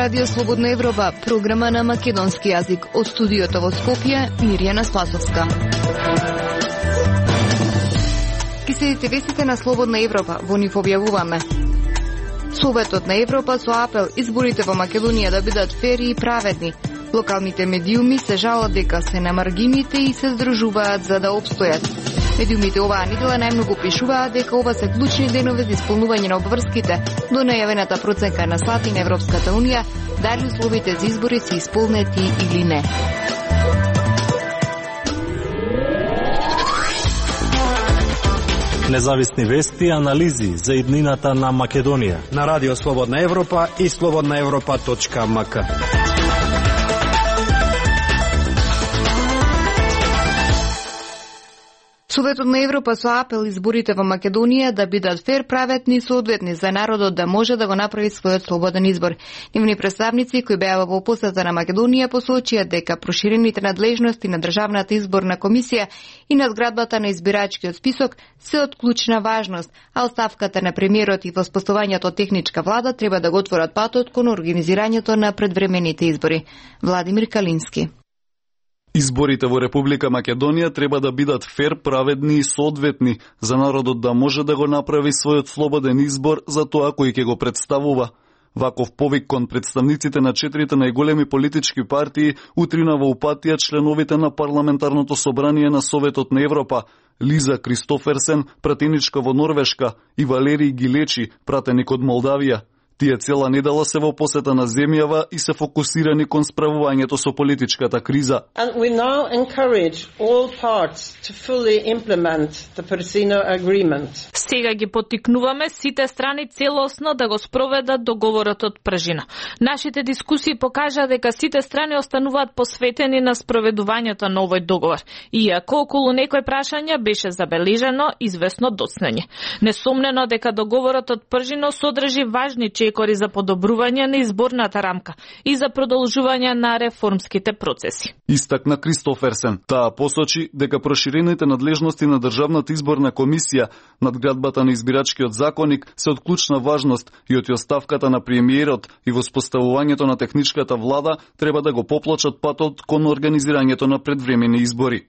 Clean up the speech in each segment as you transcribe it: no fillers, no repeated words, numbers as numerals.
Радио Слободна Европа, програма на македонски јазик. Од студиото во Скопје, Мирјана Спасовска. Ки следите вестите на Слободна Европа, во нив објавуваме. Советот на Европа со апел изборите во Македонија да бидат фери и праведни. Локалните медиуми се жалат дека се на маргините и се здружуваат за да обстојат. Медиумите оваа недела најмногу пишуваат дека ова се клучни денови за исполнување на обврските до најавената проценка на САД и на Европската Унија, дали условите за избори се исполнети или не. Независни вести и анализи за иднината на Македонија на Радио Слободна Европа и slobodnaevropa.mk. Советот на Европа со апел изборите во Македонија да бидат фер, праведни и соодветни за народот да може да го направи својот слободен избор. Нивни представници кои беа во посета на Македонија посочија дека проширените надлежности на Државната изборна комисија и надградбата на избирачкиот список се од клучна важност, а оставката на премиерот и воспоставањето техничка влада треба да го отворат патот кон организирањето на предвремените избори. Владимир Калински. Изборите во Република Македонија треба да бидат фер, праведни и соодветни за народот да може да го направи својот слободен избор за тоа кој ќе го представува. Ваков повик кон представниците на 4 најголеми политички партии утрина во упатија членовите на парламентарното собрание на Советот на Европа, Лиза Кристоферсен, пратеничка во Норвешка, и Валерий Гилечи, пратеник од Молдавија. Тие цела недела се во посета на земјава и се фокусирани кон справувањето со политичката криза. And we now encourage all parts to fully implement the Persino agreement. Сега ги поттикнуваме сите страни целосно да го спроведат договорот од Пржина. Нашите дискусии покажаа дека сите страни остануваат посветени на спроведувањето на овој договор, иако околу некои прашања беше забележано известно доцнење. Несомнено дека договорот од Пржино содржи важни чекори за подобрување на изборната рамка и за продолжување на реформските процеси. Истакна Кристоферсен. Таа посочи дека проширените надлежности на Државната изборна комисија, надградбата на избирачкиот законник се од клучна важност и од оставката на премиерот и воспоставувањето на техничката влада треба да го поплачат патот кон организирањето на предвремени избори.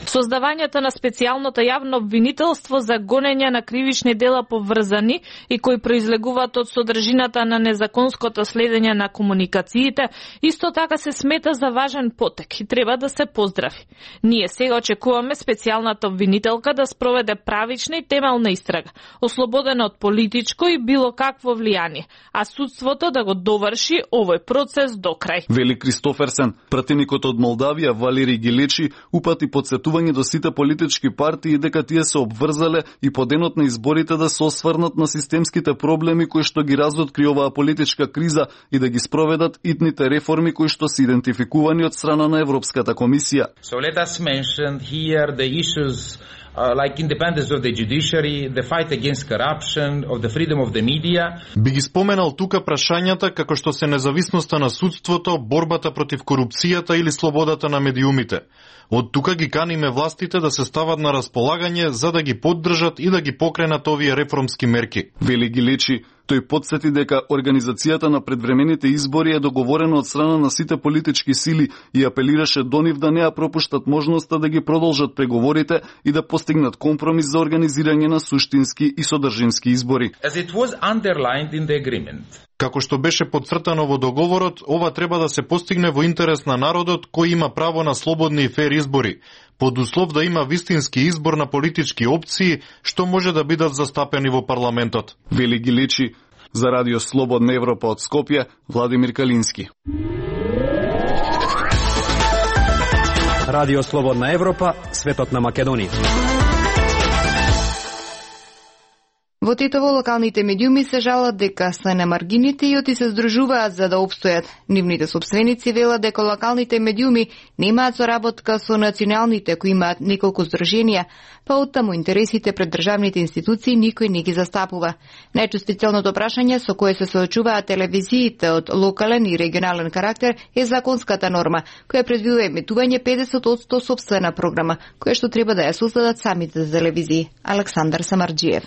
Создавањето на специјалното јавно обвинителство за гонење на кривични дела поврзани и кои произлегуваат од содржината на незаконското следење на комуникациите, исто така се смета за важен потек и треба да се поздрави. Ние сега очекуваме специјалната обвинителка да спроведе правична и темелна истрага, ослободена од политичко и било какво влијание, а судството да го доврши овој процес до крај. Вели Кристоферсен. Пратеникот од Молдавија Валерий Гилечи упати потсетување до сите политички партии дека тие се обврзале и по денот на изборите да се осврнат на системските проблеми кои што ги разоткри оваа политичка криза и да ги спроведат итните реформи кои што се идентификувани од страна на Европската комисија. So let us mention here the issues like independence of the judiciary, the fight against corruption, of the freedom of the media. Би ги споменал тука прашањата како што се независноста на судството, борбата против корупцијата или слободата на медиумите. Од тука ги каниме властите да се стават на располагање за да ги поддржат и да ги покренат овие реформски мерки. Вели Гилечи. Тој подсети дека организацијата на предвремените избори е договорена од страна на сите политички сили и апелираше до нив да не ја пропуштат можноста да ги продолжат преговорите и да постигнат компромис за организирање на суштински и содржински избори. As it was underlined in the agreement. Како што беше потцртано во договорот, ова треба да се постигне во интерес на народот кој има право на слободни и фер избори, под услов да има вистински избор на политички опции што може да бидат застапени во парламентот. Вели Гилечи. За Радио Слободна Европа од Скопје, Владимир Калински. Радио Слободна Европа, светот на Македонија. Во Тетово локалните медиуми се жалат дека се на маргините и оти се здружуваат за да обстојат. Нивните собственици велат дека локалните медиуми немаат соработка со националните кои имаат неколку здруженија, па оттаму интересите пред државните институции никој не ги застапува. Најчувствителното прашање со кое се соочуваат телевизиите од локален и регионален карактер е законската норма, која предвидува емитување 50% сопствена програма, која што треба да ја создадат самите телевизии. Александар Самарџиев.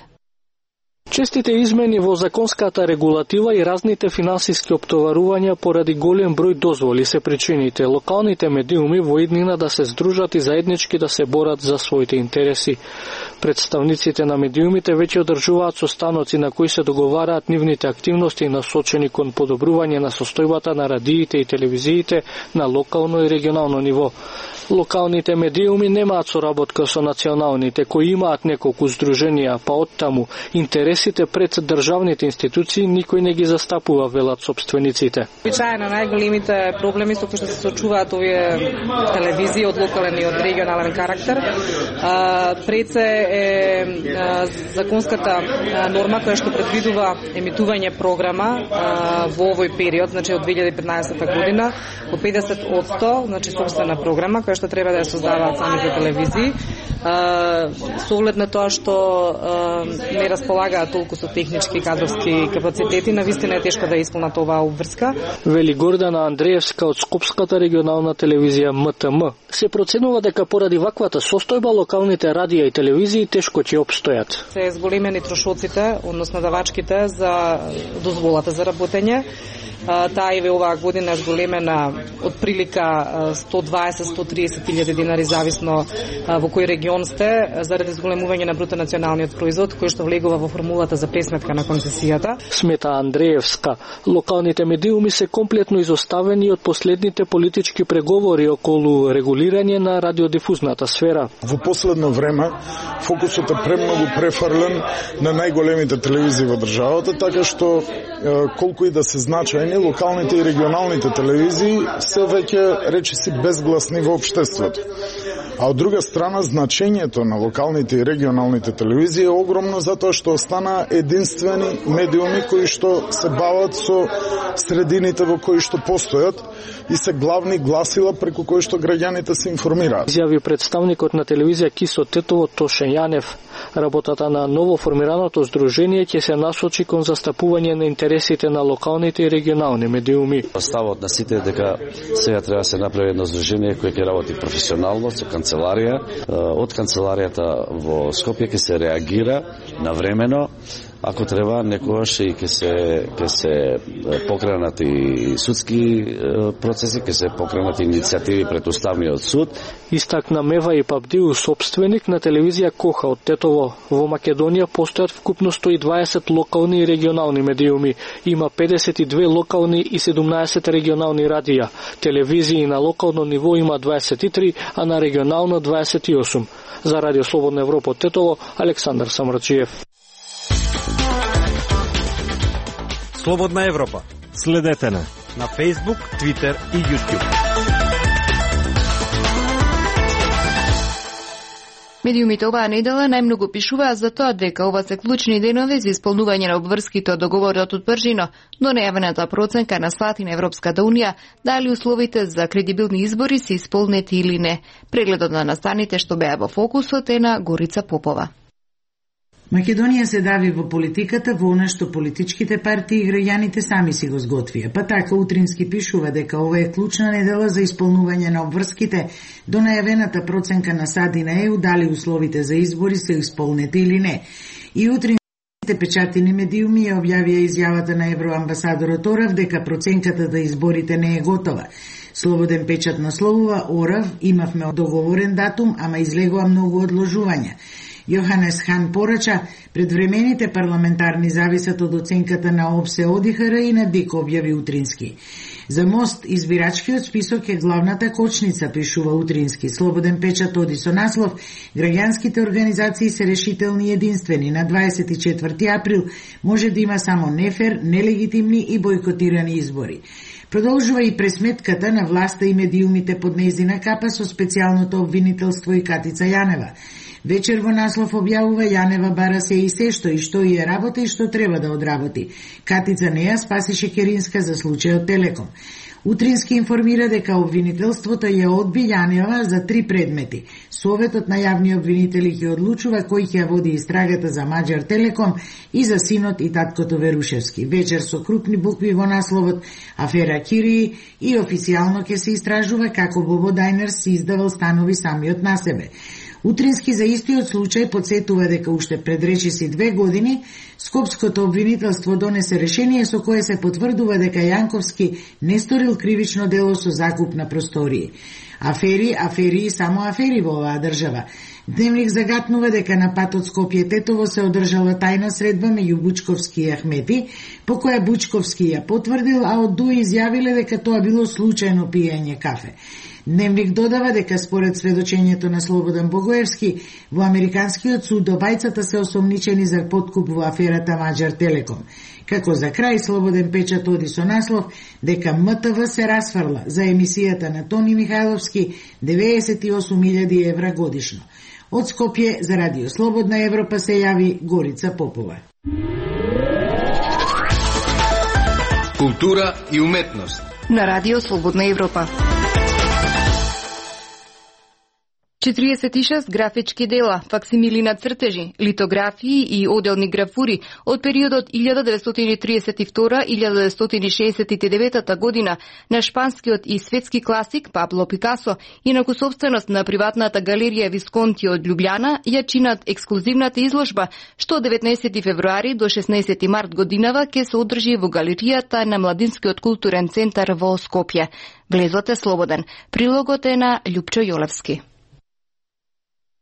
Честите измени во законската регулатива и разните финансиски оптоварувања поради голем број дозволи се причините локалните медиуми во иднина да се здружат и заеднички да се борат за своите интереси. Представниците на медиумите веќе одржуваат состаноци на кои се договараат нивните активности насочени кон подобрување на состојбата на радиите и телевизиите на локално и регионално ниво. Локалните медиуми немаат соработка со националните, кои имаат неколку здруженија, па оттаму интересите пред државните институции никој не ги застапува, велат собствениците. Обичаено најголемите проблеми со кои што се соочуваат овие телевизии од локален и од регионален карактер. Пред се е законската норма која што предвидува емитување програма во овој период, значи од 2015 година, по 50%, значи собствена програма која што треба да ја создаваат самите телевизии. Со оглед на тоа што не располагаат толку со технички и кадровски капацитети, навистина е тешко да исполнат оваа обврска. Вели Гордана Андреевска од Скопската регионална телевизија МТМ. Се проценува дека поради ваквата состојба локалните радија и телевизии тешко ќе опстојат. Се зголемени трошоците, односно давачките за дозволата за работење. Таа и оваа година е зголемена од прилика 120-130 илјади динари, зависно во кој регион сте, заради зголемување на бруто националниот производ, кој што влегува во формулата за пресметка на концесијата. Смета Андреевска, локалните медиуми се комплетно изоставени од последните политички преговори околу регулирање на радиодифузната сфера. Во последно време фокусот е премногу префрлен на најголемите телевизии во државата, така што колку и да се значајни, локалните и регионалните телевизии се веќе речиси безгласни во општеството. А од друга страна, значењето на локалните и регионалните телевизии е огромно затоа што остана единствени медиуми кои што се бават со средините во кои што постојат и се главни гласила преку кои што граѓаните се информираат. Изјави представникот на телевизија Кисо Тетово Тоше Јанев. Работата на ново формираното здружение ќе се насочи кон застапување на интересите на локалните и регионални медиуми. Ставот на сите е дека сега треба да се направи едно здружение кое ќе работи професионално со канцеларија. Од канцеларијата во Скопје ќе се реагира навремено. Ако треба, некогаш и ќе се покренат и судски процеси, ќе се покренат иницијативи пред Уставниот суд. Истакна Мева и Пабдиу, собственик на телевизија Коха од Тетово. Во Македонија постојат вкупно 120 локални и регионални медиуми. Има 52 локални и 17 регионални радија. Телевизии на локално ниво има 23, а на регионално 28. За Радио Слободна Европа од Тетово, Александар Самрачиев. Слободна Европа. Следете на Facebook, Twitter и YouTube. Медиумите оваа недела најмногу пишуваат за тоа дека ова се клучни денови за исполнување на обврските од договорот од Пржино, но нејавената проценка на САД и на Европската унија дали условите за кредибилни избори се исполнети или не. Прегледот на настаните што беа во фокусот е на Горица Попова. Македонија се дави во политиката во она што политичките партии и граѓаните сами си го сготвија. Па така Утрински пишува дека ова е клучна недела за исполнување на обврските до најавената проценка на САД и на ЕУ дали условите за избори се исполнети или не. И Утринските печатини медиуми ја објавија изјавата на евроамбасадорот Орав дека проценката за изборите не е готова. Слободен печат насловува Орав, имавме договорен датум, ама излегува многу одложувања. Јоханес Хан порача, предвремените парламентарни зависат од оценката на ОПСЕ ОДИХР и на ДИК, објави Утрински. За мост, избирачкиот список е главната кочница, пишува Утрински. Слободен печат оди со наслов, граѓанските организации се решителни и единствени. На 24 април може да има само нефер, нелегитимни и бойкотирани избори. Продолжува и пресметката на власта и медиумите под нејзина капа со специјалното обвинителство и Катица Јанева. Вечер во наслов објавува Јанева бара се и се што и работи и што треба да одработи. Катица не ја спаси Шекеринска за случајот Телеком. Утрински информира дека обвинителството ја одби Јанева за 3 предмети. Советот на јавни обвинители ќе одлучува кој ќе ја води истрагата за Маđар Телеком и за синот и таткото Верушевски. Вечер со крупни букви во насловот Афера Кирии и официјално ќе се истражува како Бобо Дајнер си издавал станови самиот на себе. Утрински за истиот случај подсетува дека уште пред речиси 2 години Скопското обвинителство донесе решение со кое се потврдува дека Јанковски не сторил кривично дело со закуп на простории. Афери и само афери во оваа држава. Дневник загатнува дека на патот Скопје-Тетово се одржала тајна средба меѓу Бучковски и Ахмети, по која Бучковски ја потврдил, а од ДУИ изјавиле дека тоа било случајно пиење кафе. Дневник додава дека според сведочењето на Слободан Богоевски, во Американскиот суд обајцата се осомничени за подкуп во аферата Маđар Телеком. Како за крај, Слободен печат оди со наслов дека МТВ се расфрла за емисијата на Тони Михајловски 98.000 евра годишно. Од Скопје за Радио Слободна Европа се јави Горица Попова. Култура и уметност на Радио Слободна Европа. 46 графички дела, факсимили на цртежи, литографии и оделни графури од периодот 1932-1969 година на шпанскиот и светски класик Пабло Пикасо, инаку собственост на приватната галерија Висконти од Љубљана, ја чинат ексклузивната изложба, што од 19 февруари до 16 март годинава ќе се одржи во галеријата на Младинскиот културен центар во Скопје. Влезот е слободен. Прилогот е на Љупчо Јолевски.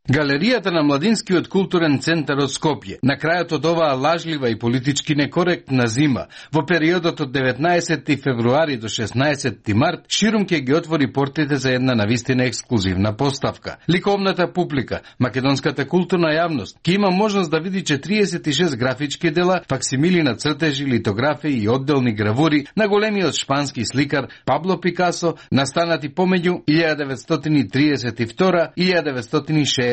Галеријата на Младинскиот културен центар од Скопје, на крајот од оваа лажлива и политички некоректна зима, во периодот од 19 февруари до 16 март, ширум ќе ги отвори портите за една навистина ексклузивна поставка. Ликовната публика, македонската културна јавност, ќе има можност да види 46 графички дела, факсимили на цртежи, литографии и одделни гравури на големиот шпански сликар Пабло Пикасо, настанати помеѓу 1932 и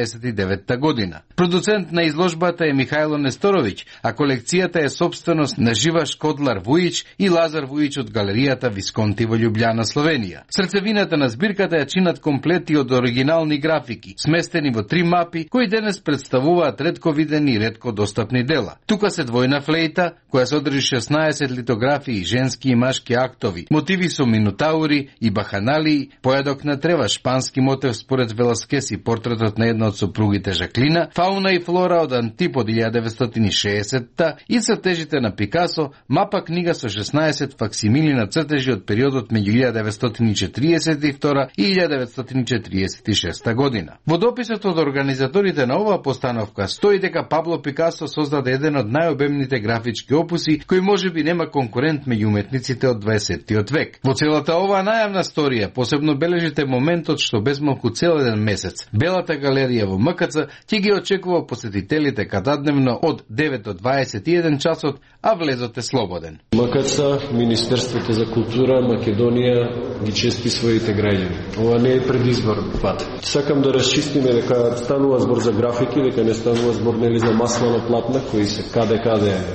1969 година. Продуцент на изложбата е Михајло Несторовиќ, а колекцијата е собственост на Живаш Кодлар Вујич и Лазар Вујич од галеријата Висконти во Љубљана, Словенија. Срцевината на збирката ја чинат комплети од оригинални графики, сместени во 3 мапи, кои денес представуваат ретко видени и ретко достапни дела. Тука се двојна флејта, која содржи 16 литографии, женски и машки актови, мотиви со минотаури и баханалии, појадок на трева, шпански мотив според Веласкес и портретот на една од сопругите Жаклина, фауна и флора од Антип од 1960-та и цртежите на Пикасо, мапа книга со 16 факсимили на цртежи од периодот меѓу 1942 и 1946 година. Во дописот од организаторите на оваа постановка стои дека Пабло Пикасо создаде еден од најобемните графички опуси кој можеби нема конкурент меѓу уметниците од 20-тиот век. Во целата оваа најавна сторија посебно бележите моментот што безмалку цел еден месец Белата галерија во МКЦ ќе ги очекува посетителите кададневно од 9 до 21 часот, а влезот е слободен. МКЦ, Министерството за култура, Македонија ги чести своите граѓани. Ова не е предизборен пат. Сакам да расчистиме дека станува збор за графики, дека не станува збор нели за маслана платна кои се каде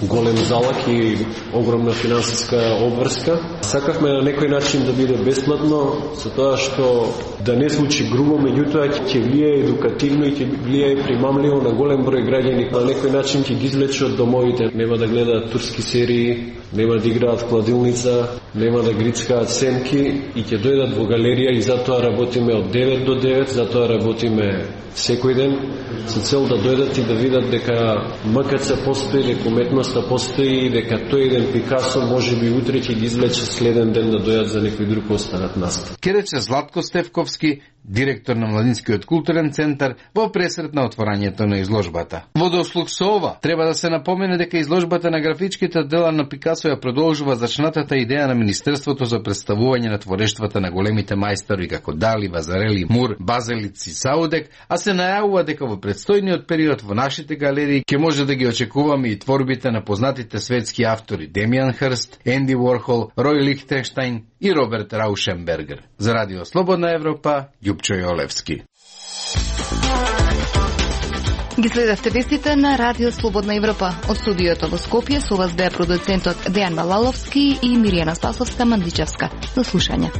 голем залак и огромна финансиска обврска. Сакавме на некој начин да биде бесплатно, со тоа што да не звучи грубо, меѓутоа ќе влијае едукативно и ќе влијае примамливо на голем број граѓани. На некој начин ќе ги извлече од домовите. Нема да гледаат турски серии, нема да играат кладилница, нема да грицкаат семки и ќе дојдат во галерија и затоа работиме од 9 до 9, затоа работиме секој ден со цел да дојдат и да видат дека МКЦ постои, дека уметноста постои и дека тој еден Пикасо можеби утре ќе ги извлече следен ден да дојдат за некој друг останат настав. Ке рече Златко Стевковски, директор на Младинскиот културен центар, во пресрет на отворањето на изложбата. Во дослуг со ова, треба да се напомене дека изложбата на графичките дела на Пикасо ја продолжува зачнатата идеја на Министерството за представување на творештвата на големите мајстори како Дали, Вазарели, Мур, Базелиц и Саудек, а се најавува дека во предстојниот период во нашите галерии ќе може да ги очекуваме и творбите на познатите светски автори Демиан Хрст, Енди Ворхол, Рој Лихтенштајн и Роберт Раушенбергер. За Радио Слободна Европа, Љупчо Јолевски. Ги следавте вестите на Радио Слободна Европа. Од студиото во Скопје со вас беа продуцентот Дејан Малаловски и Миријана Спасовска-Мандичевска. До слушање.